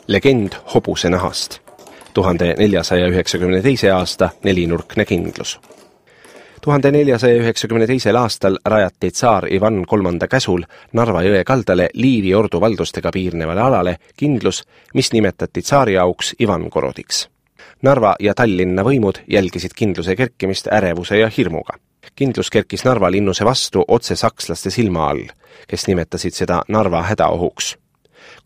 Legend hobuse nahast. 1492. aasta nelinurkne kindlus. 1492. aastal rajati tsaar Ivan III käsul Narva jõe kaldale Liivi ordu valdustega piirnevale alale kindlus, mis nimetati tsaari auks Ivankorodiks. Narva ja Tallinna võimud jälgisid kindluse kerkimist ärevuse ja hirmuga. Kindlus kerkis Narva linnuse vastu otse sakslaste silma all, kes nimetasid seda Narva hädaohuks.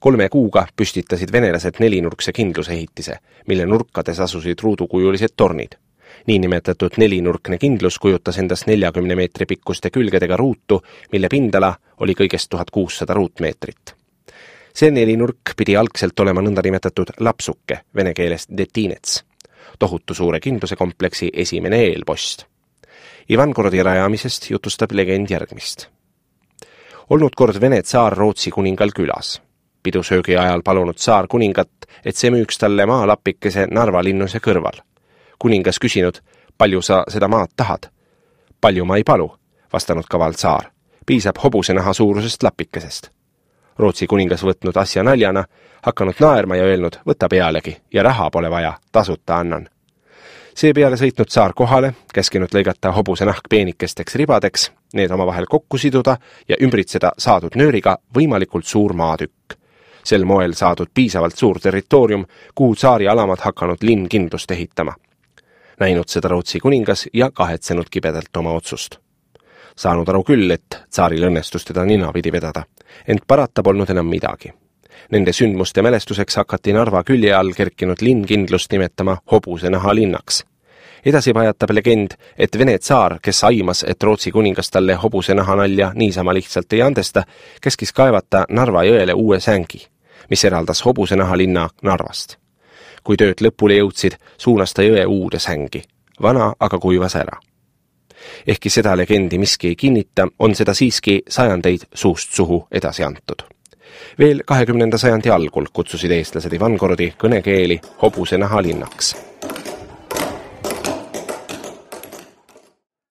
3 kuuga püstitasid venelased nelinurkse kindlusehitise, mille nurkades asusid ruudukujulised tornid. Niinimetatud nelinurkne kindlus kujutas endast 40 meetri pikkuste külgedega ruutu, mille pindala oli kõigest 1600 ruutmeetrit. See nelinurk pidi algselt olema nõndanimetatud lapsuke, vene keelest detinets, tohutu suure kindluse kompleksi esimene eelpost. Ivankorodi rajamisest jutustab legend järgmist. Olnud kord Vene tsaar Rootsi kuningal külas. Pidusöögi ajal palunud tsaar kuningat, et see müüks talle maalapikese Narva linnuse kõrval. Kuningas küsinud, palju sa seda maad tahad? Palju ma ei palu, vastanud kaval tsaar. Piisab hobuse naha suurusest lapikesest. Rootsi kuningas võtnud asja naljana, hakanud naerma ja öelnud, võta pealegi ja raha pole vaja, tasuta annan. Seepeale sõitnud tsaar kohale, käskinud lõigata hobuse nahk peenikesteks ribadeks, need omavahel kokku siduda ja ümbritseda saadud nööriga võimalikult suur maatükk. Sel moel saadud piisavalt suur territoorium, kuhu tsaari alamad hakanud linn kindlust ehitama. Näinud seda Rootsi kuningas ja kahetsenud kibedalt oma otsust. Saanud aru küll, et tsaaril õnnestus teda ninapidi vedada, ent parata polnud enam midagi. Nende sündmuste mälestuseks hakati Narva külje all kerkinud linn kindlust nimetama hobuse naha linnaks. Edasi pajatab legend, et Vene tsaar, kes aimas, et Rootsi kuningas talle hobuse naha nalja niisama lihtsalt ei andesta, käskis kaevata Narva jõele uue sängi, mis eraldas hobuse naha linna Narvast. Kui tööd lõpule jõudsid, suunas ta jõe uude sängi. Vana aga kuivas ära. Ehkki seda legendi miski ei kinnita, on seda siiski sajandeid suust suhu edasi antud. Veel 20. sajandi algul kutsusid eestlased Ivankorodi kõnekeeli hobuse naha linnaks.